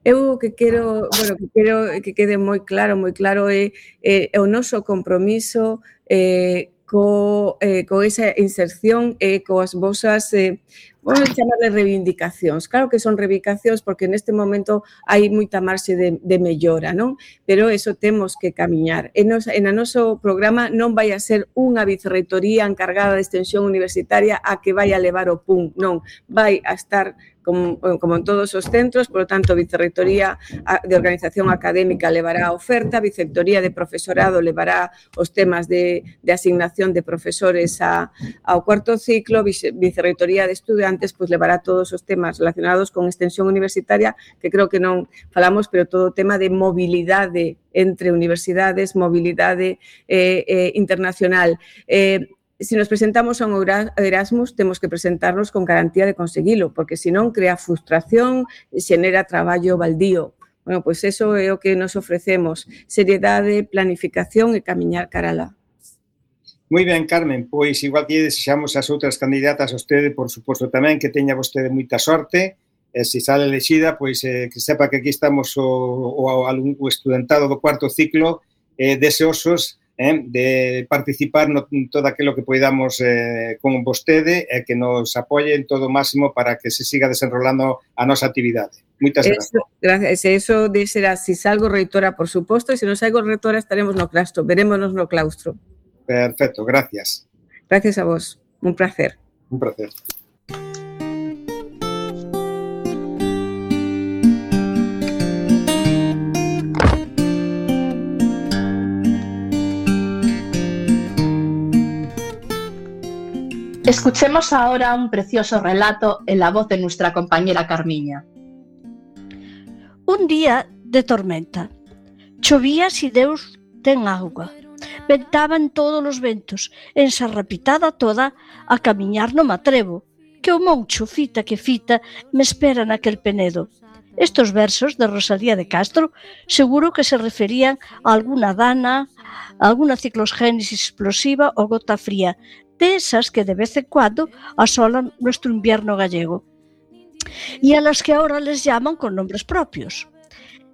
Eu que quero, bueno, que quero que quede moi claro, moi claro é, é o noso compromiso, eh, co, eh, co esa inserción e coas vosas, eh, vamos a chamarle reivindicacións. Claro que son reivindicacións porque neste momento hai moita marxe de, de mellora, non? Pero eso temos que camiñar. E nos, en o noso programa non vai a ser unha vicerreitoría encargada de extensión universitaria a que vai a levar o P U N, non. Vai a estar como, como en todos os centros, por lo tanto, Vicerreitoría de Organización Académica levará a oferta, Vicerreitoría de Profesorado levará os temas de, de asignación de profesores a, ao cuarto ciclo, Vicerreitoría de Estudiantes pues, levará todos os temas relacionados con extensión universitaria, que creo que non falamos, pero todo o tema de mobilidade entre universidades, mobilidade eh, eh, internacional. Eh, Si nos presentamos a un Erasmus, temos que presentarnos con garantía de conseguilo, porque senón crea frustración, xenera traballo baldío. Bueno, pois eso é o que nos ofrecemos, seriedade, planificación e camiñar cara alá. Moi ben, Carmen, pois igual que desexamos as outras candidatas a vostede, por suposto tamén, que teña vostede moita sorte, e se sale elexida, pois eh, que sepa que aquí estamos o, o, o estudantado do cuarto ciclo eh, deseosos Eh, de participar no todo aquilo que poidamos eh, con vostede e que nos apoie en todo o máximo para que se siga desenrolando a nosa actividade. Moitas gracias. Gracias. Eso de será, si salgo reitora, por suposto, e se non salgo reitora estaremos no claustro, verémonos no claustro. Perfecto, gracias. Gracias a vos, un placer. Un placer. Escuchemos ahora un precioso relato en la voz de nuestra compañera Carmiña. Un día de tormenta. Chovía si Deus ten auga. Ventaban todos os ventos, ensarrapitada toda, a camiñar no matrevo, que o moncho fita que fita me espera naquel penedo. Estos versos de Rosalía de Castro seguro que se referían a alguna dana, a alguna ciclogénesis explosiva ou gota fría, de esas que de vez en cuando asolan nuestro invierno gallego, y a las que ahora les llaman con nombres propios.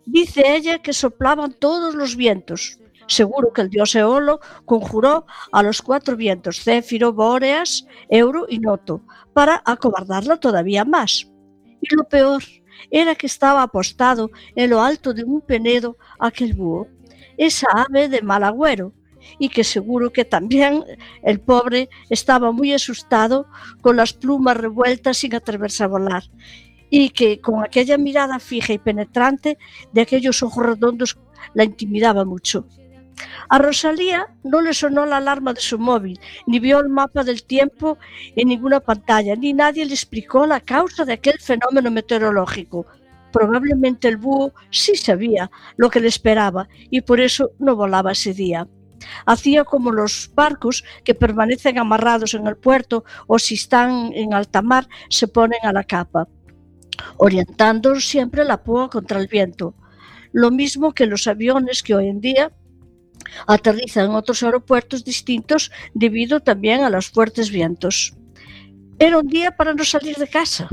Dice ella que soplaban todos los vientos. Seguro que el dios Eolo conjuró a los cuatro vientos, Céfiro, Bóreas, Euro y Noto, para acobardarla todavía más. Y lo peor era que estaba apostado en lo alto de un penedo aquel búho, esa ave de mal agüero, y que seguro que también el pobre estaba muy asustado con las plumas revueltas sin atreverse a volar, y que con aquella mirada fija y penetrante de aquellos ojos redondos la intimidaba mucho. A Rosalía no le sonó la alarma de su móvil, ni vio el mapa del tiempo en ninguna pantalla, ni nadie le explicó la causa de aquel fenómeno meteorológico. Probablemente el búho sí sabía lo que le esperaba y por eso no volaba ese día. Hacía como los barcos que permanecen amarrados en el puerto o si están en alta mar se ponen a la capa, orientando siempre la proa contra el viento. Lo mismo que los aviones que hoy en día aterrizan en otros aeropuertos distintos debido también a los fuertes vientos. Era un día para no salir de casa,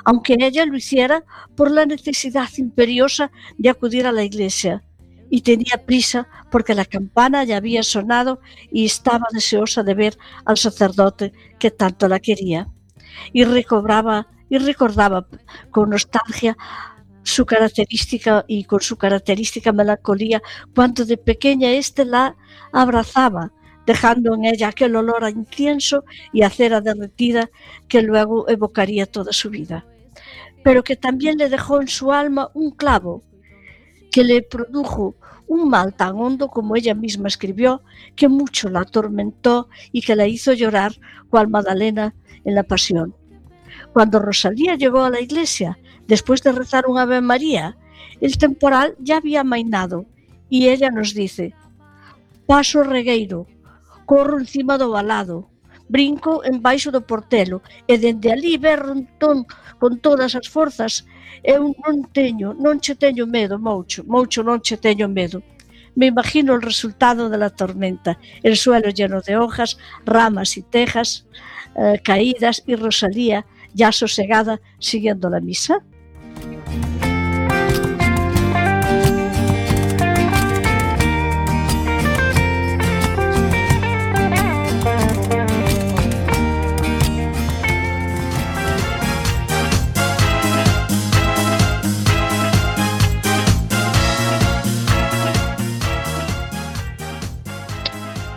aunque ella lo hiciera por la necesidad imperiosa de acudir a la iglesia. Y tenía prisa porque la campana ya había sonado y estaba deseosa de ver al sacerdote que tanto la quería. Y recobraba y recordaba con nostalgia su característica y con su característica melancolía cuando de pequeña éste la abrazaba, dejando en ella aquel olor a incienso y a cera derretida que luego evocaría toda su vida. Pero que también le dejó en su alma un clavo que le produjo un mal tan hondo como ella misma escribió, que mucho la atormentó y que la hizo llorar cual Magdalena en la Pasión. Cuando Rosalía llegó a la iglesia, después de rezar un Ave María, el temporal ya había amainado y ella nos dice: paso regueiro, corro encima do valado, brinco embaixo do portelo e dende ali berro entón con todas as forzas. Eu non teño, non che teño medo, Moucho, Moucho non che teño medo. Me imagino el resultado de la tormenta, el suelo lleno de hojas, ramas y tejas eh, caídas y Rosalía ya sosegada siguiendo la misa.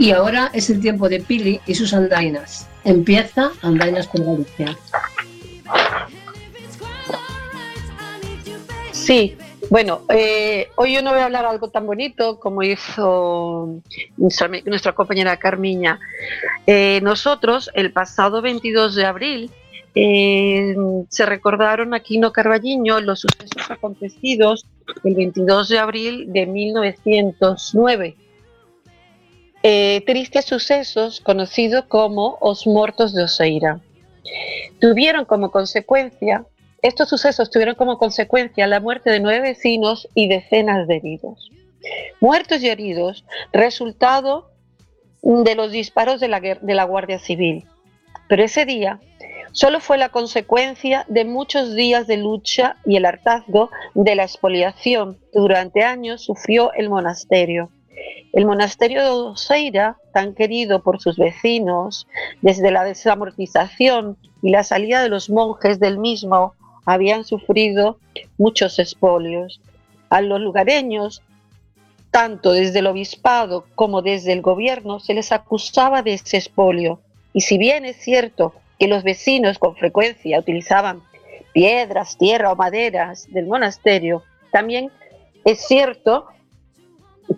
Y ahora es el tiempo de Pili y sus andainas. Empieza Andainas por Galicia. Sí, bueno, eh, hoy yo no voy a hablar algo tan bonito como hizo nuestra, nuestra compañera Carmiña. Eh, nosotros, el pasado veintidós de abril, eh, se recordaron aquí en Carballiño los sucesos acontecidos el veintidós de abril de mil novecientos nueve. Eh, tristes sucesos conocidos como os mortos de Oseira. Tuvieron como consecuencia, estos sucesos tuvieron como consecuencia la muerte de nueve vecinos y decenas de heridos. Muertos y heridos, resultado de los disparos de la, de la Guardia Civil. Pero ese día solo fue la consecuencia de muchos días de lucha y el hartazgo de la expoliación que durante años sufrió el monasterio. El monasterio de Oseira, tan querido por sus vecinos, desde la desamortización y la salida de los monjes del mismo, habían sufrido muchos expolios. A los lugareños, tanto desde el obispado como desde el gobierno, se les acusaba de ese expolio. Y si bien es cierto que los vecinos con frecuencia utilizaban piedras, tierra o maderas del monasterio, también es cierto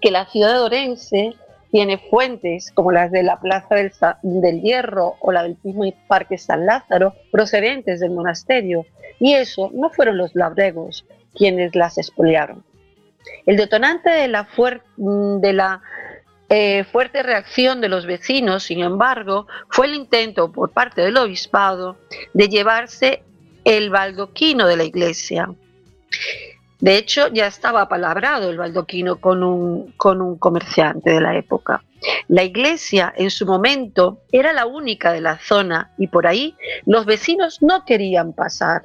que la ciudad de Orense tiene fuentes como las de la Plaza del, del Hierro o la del mismo Parque San Lázaro, procedentes del monasterio, y eso no fueron los labregos quienes las expoliaron. El detonante de la, fuer de la eh, fuerte reacción de los vecinos, sin embargo, fue el intento por parte del obispado de llevarse el baldoquino de la iglesia. De hecho, ya estaba apalabrado el baldoquino con un, con un comerciante de la época. La iglesia, en su momento, era la única de la zona y por ahí los vecinos no querían pasar.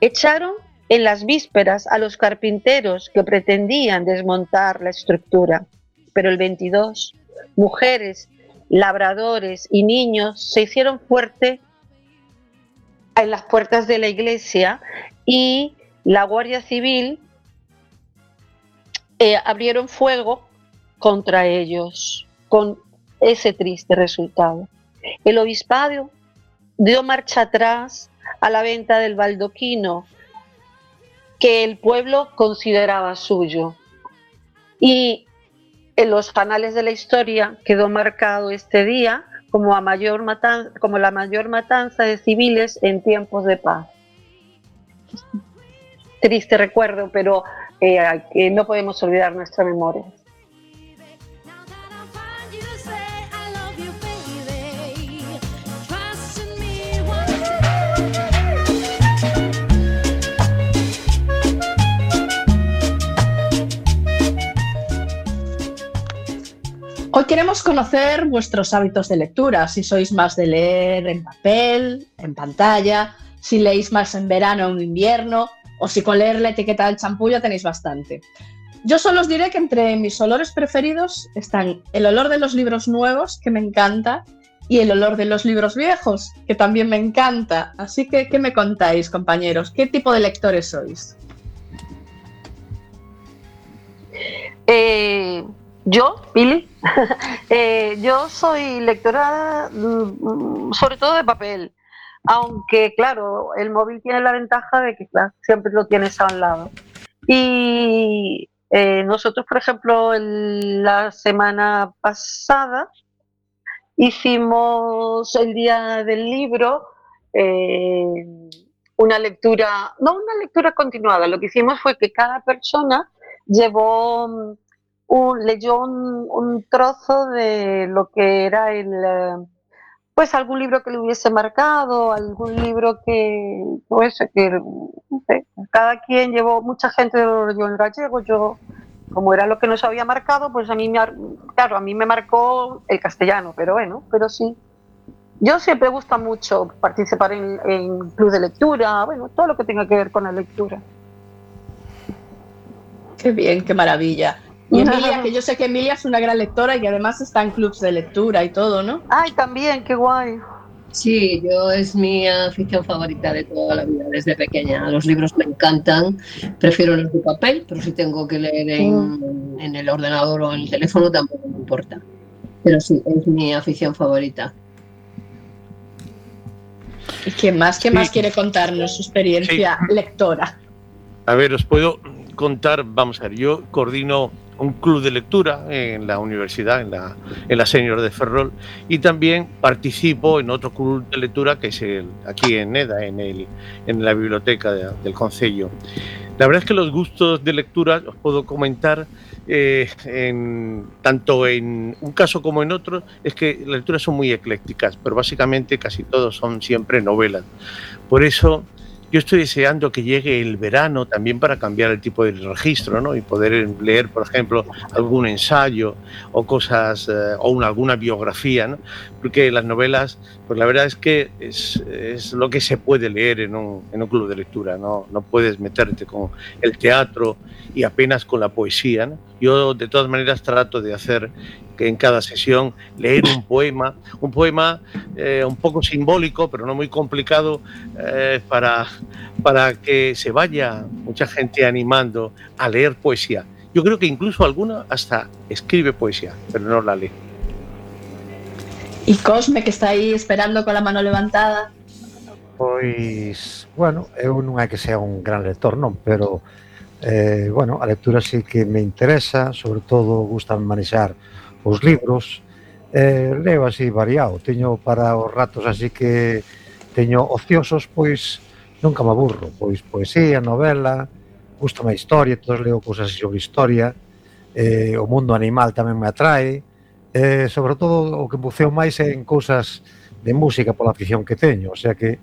Echaron en las vísperas a los carpinteros que pretendían desmontar la estructura, pero el veintidós, mujeres, labradores y niños se hicieron fuerte en las puertas de la iglesia y la Guardia Civil eh, abrieron fuego contra ellos, con ese triste resultado. El obispado dio marcha atrás a la venta del baldoquino que el pueblo consideraba suyo. Y en los anales de la historia quedó marcado este día como, a mayor matanza, como la mayor matanza de civiles en tiempos de paz. Triste recuerdo, pero eh, que no podemos olvidar nuestra memoria. Hoy queremos conocer vuestros hábitos de lectura, si sois más de leer en papel, en pantalla, si leéis más en verano o en invierno, o si con leer la etiqueta del champú ya tenéis bastante. Yo solo os diré que entre mis olores preferidos están el olor de los libros nuevos, que me encanta, y el olor de los libros viejos, que también me encanta. Así que, ¿qué me contáis, compañeros? ¿Qué tipo de lectores sois? Eh, yo, Pili, eh, yo soy lectora sobre todo de papel. Aunque, claro, el móvil tiene la ventaja de que claro, siempre lo tienes a un lado. Y eh, nosotros, por ejemplo, el, la semana pasada hicimos el día del libro eh, una lectura, no una lectura continuada, lo que hicimos fue que cada persona llevó un, leyó un, un trozo de lo que era el... pues algún libro que le hubiese marcado, algún libro que, pues, que no sé, cada quien llevó, mucha gente lo leyó en gallego, yo, como era lo que nos había marcado, pues a mí me, claro, a mí me marcó el castellano, pero bueno, pero sí. Yo siempre me gusta mucho participar en, en club de lectura, bueno, todo lo que tenga que ver con la lectura. Qué bien, qué maravilla. Y Emilia, que yo sé que Emilia es una gran lectora y que además está en clubs de lectura y todo, ¿no? Ay, también, qué guay. Sí, yo es mi afición favorita de toda la vida, desde pequeña. Los libros me encantan, prefiero los de papel, pero si tengo que leer en, en el ordenador o en el teléfono tampoco me importa. pero sí, es mi afición favorita. ¿Y qué más, qué Sí. más quiere contarnos su experiencia Sí. lectora? A ver, os puedo contar, vamos a ver, yo coordino un club de lectura en la universidad, en la, en la Senior de Ferrol, y también participo en otro club de lectura que es el, aquí en Neda, en, el, en la biblioteca de, del Concello. La verdad es que los gustos de lectura os puedo comentar eh, en, tanto en un caso como en otro, es que las lecturas son muy eclécticas, pero básicamente casi todos son siempre novelas. Por eso yo estoy deseando que llegue el verano también para cambiar el tipo de registro, ¿no? Y poder leer, por ejemplo, algún ensayo o cosas, eh, o una, alguna biografía, ¿no? Porque las novelas, pues la verdad es que es, es lo que se puede leer en un, en un club de lectura, ¿no? No puedes meterte con el teatro y apenas con la poesía, ¿no? Yo de todas maneras trato de hacer que en cada sesión leer un poema, un poema eh, un poco simbólico, pero no muy complicado, eh, para, para que se vaya mucha gente animando a leer poesía. Yo creo que incluso alguna hasta escribe poesía, pero no la lee. Y Cosme, que está aí esperando con la mano levantada. Pois, bueno, eu non é que sea un gran lector, non, pero eh, bueno, a lectura sí que me interesa, sobre todo gusta manexar os libros, eh, leo así variado, teño para os ratos así que teño ociosos, pois nunca me aburro, pois poesía, novela, gustame a historia, todos leo cousas sobre historia, eh, o mundo animal tamén me atrae, eh, sobre todo o que buceo máis é en cousas de música pola afición que teño, o sea que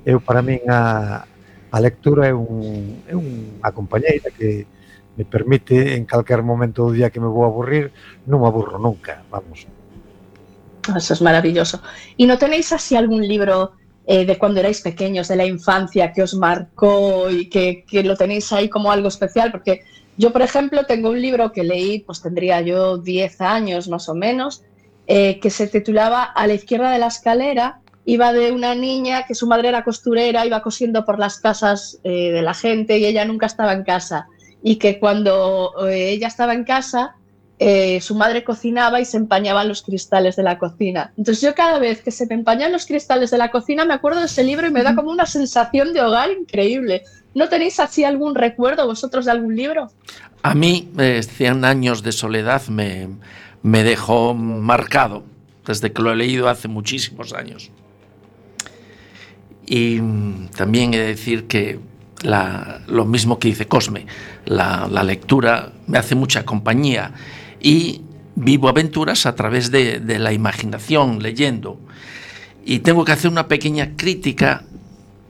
eu para min a, a lectura é, un, é unha compañeira que me permite en calquer momento do día que me vou aburrir, non me aburro nunca, vamos. Eso es maravilloso. ¿Y no tenéis así algún libro eh, de cuando erais pequeños, de la infancia, que os marcó y que, que lo tenéis ahí como algo especial? Porque yo, por ejemplo, tengo un libro que leí, pues tendría yo diez años más o menos, eh, que se titulaba A la izquierda de la escalera. Iba de una niña que su madre era costurera, iba cosiendo por las casas eh, de la gente y ella nunca estaba en casa. Y que cuando eh, ella estaba en casa, eh, su madre cocinaba y se empañaban los cristales de la cocina. Entonces yo cada vez que se me empañan los cristales de la cocina me acuerdo de ese libro y me da como una sensación de hogar increíble. ¿No tenéis así algún recuerdo vosotros de algún libro? A mí, eh, cien años de soledad me, me dejó marcado, desde que lo he leído hace muchísimos años. Y también he de decir que La, lo mismo que dice Cosme, la, la lectura me hace mucha compañía y vivo aventuras a través de, de la imaginación leyendo. Y tengo que hacer una pequeña crítica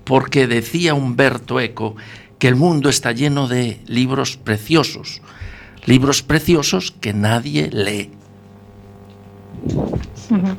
porque decía Umberto Eco que el mundo está lleno de libros preciosos, libros preciosos que nadie lee.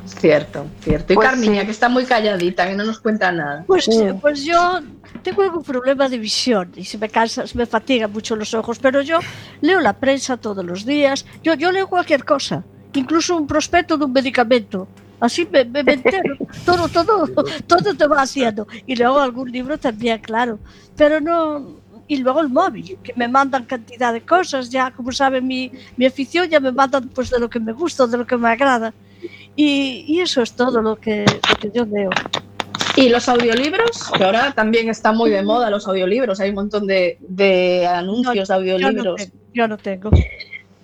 Cierto, cierto. Y Pues Carmiña, sí. que está muy calladita, que no nos cuenta nada. Pues, pues yo tengo algún problema de visión y se me cansa, se me fatigan mucho los ojos, pero yo leo la prensa todos los días, yo, yo leo cualquier cosa, incluso un prospecto de un medicamento. Así me, me, me entero, todo, todo, todo te va haciendo. Y luego algún libro también, claro, pero no... Y luego el móvil, que me mandan cantidad de cosas, ya como saben mi, mi afición, ya me mandan pues de lo que me gusta, de lo que me agrada. Y, y eso es todo lo que, lo que yo leo. ¿Y los audiolibros? Que ahora también está muy de moda los audiolibros, hay un montón de, de anuncios de audiolibros. Yo no tengo. Yo no tengo.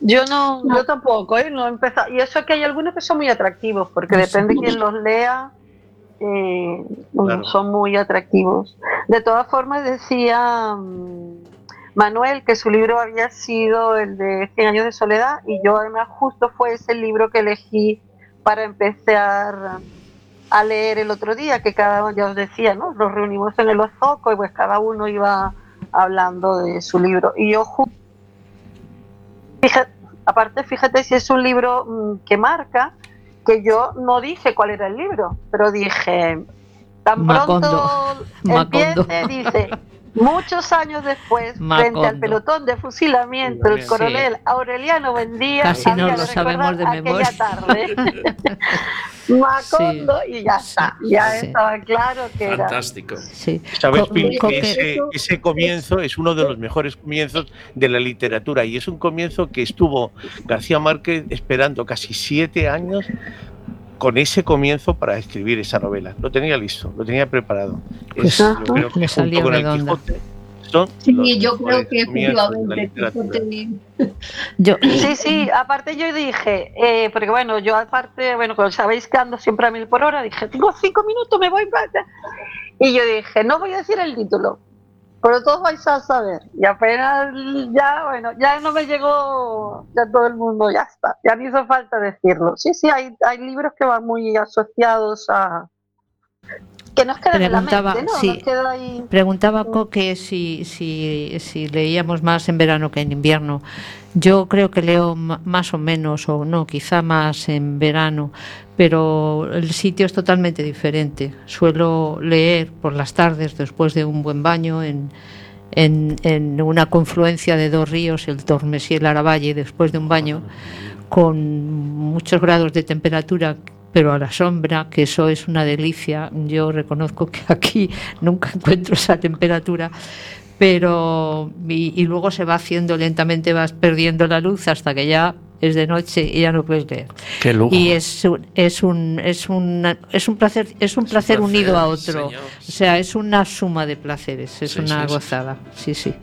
Yo no, yo tampoco, ¿eh? No he empezado. Y eso que hay algunos que son muy atractivos, porque depende de quién los lea, eh, Claro. son muy atractivos. De todas formas, decía um, Manuel que su libro había sido el de Cien años de soledad, y yo además justo fue ese libro que elegí para empezar a leer el otro día, que cada uno, ya os decía, ¿no? Nos reunimos en el Ozoco y pues cada uno iba hablando de su libro. Y yo justo, fíjate, aparte, fíjate si es un libro mmm, que marca, que yo no dije cuál era el libro, pero dije, tan Macondo. pronto Macondo. empiece, dice, Muchos años después, Macondo. frente al pelotón de fusilamiento, el coronel Sí. Aureliano Buendía Casi había no de lo sabemos de recordar memoria. aquella tarde. Macondo y ya está, ya Sí. estaba claro que era. Fantástico. Sí. Sabes, Co- Pili, co- que que- ese, ese comienzo es uno de los mejores comienzos de la literatura y es un comienzo que estuvo García Márquez esperando casi siete años con ese comienzo para escribir esa novela. Lo tenía listo, lo tenía preparado. Pues, Es, yo ajá, creo que le junto salió con el redonda. Quijote son Sí, los yo creo mejores que comienzos de la efectivamente literatura. Quijote- Yo, Sí, sí, aparte yo dije, eh, porque bueno, yo aparte, bueno, como sabéis que ando siempre a mil por hora, dije, tengo cinco minutos, me voy para... Y yo dije, no voy a decir el título, pero todos vais a saber. Y apenas, ya, bueno, ya no me llegó, ya todo el mundo, ya está, ya no hizo falta decirlo. Sí, sí, hay, hay libros que van muy asociados a... que nos quedan en la Preguntaba, mente, ¿no? sí. Nos queda ahí... Preguntaba Coque si, si, si leíamos más en verano que en invierno. Yo creo que leo ma- más o menos, o no, quizá más en verano, pero el sitio es totalmente diferente. Suelo leer por las tardes después de un buen baño en, en, en una confluencia de dos ríos, el Tormes y el Aravalle, después de un baño, con muchos grados de temperatura, pero a la sombra, que eso es una delicia. Yo reconozco que aquí nunca encuentro esa temperatura, pero y, y luego se va haciendo lentamente, vas perdiendo la luz hasta que ya es de noche y ya no puedes leer. Qué lujo. Y es un, es un es un es un placer es un placer placer, unido a otro. señor. O sea, es una suma de placeres, es Sí, una sí, sí. gozada. Sí, sí.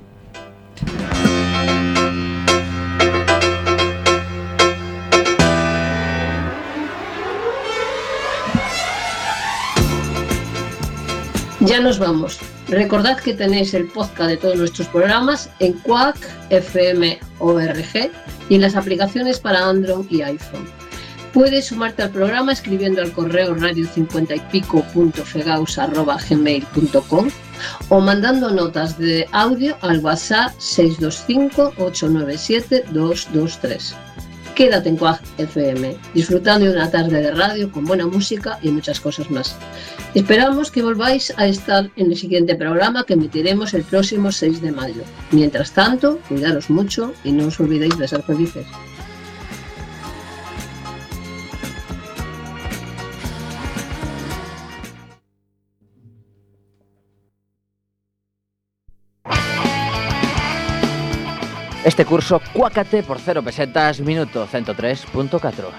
Ya nos vamos. Recordad que tenéis el podcast de todos nuestros programas en Quack, F M O R G y en las aplicaciones para Android y iPhone. Puedes sumarte al programa escribiendo al correo radio cincuenta y pico punto fegaus arroba gmail punto com o mandando notas de audio al WhatsApp seis dos cinco, ocho nueve siete, dos dos tres. Quédate en Quack F M, disfrutando de una tarde de radio con buena música y muchas cosas más. Esperamos que volváis a estar en el siguiente programa que emitiremos el próximo seis de mayo. Mientras tanto, cuidaros mucho y no os olvidéis de ser felices. Este curso, cuácate por cero pesetas, minuto ciento tres punto cuatro.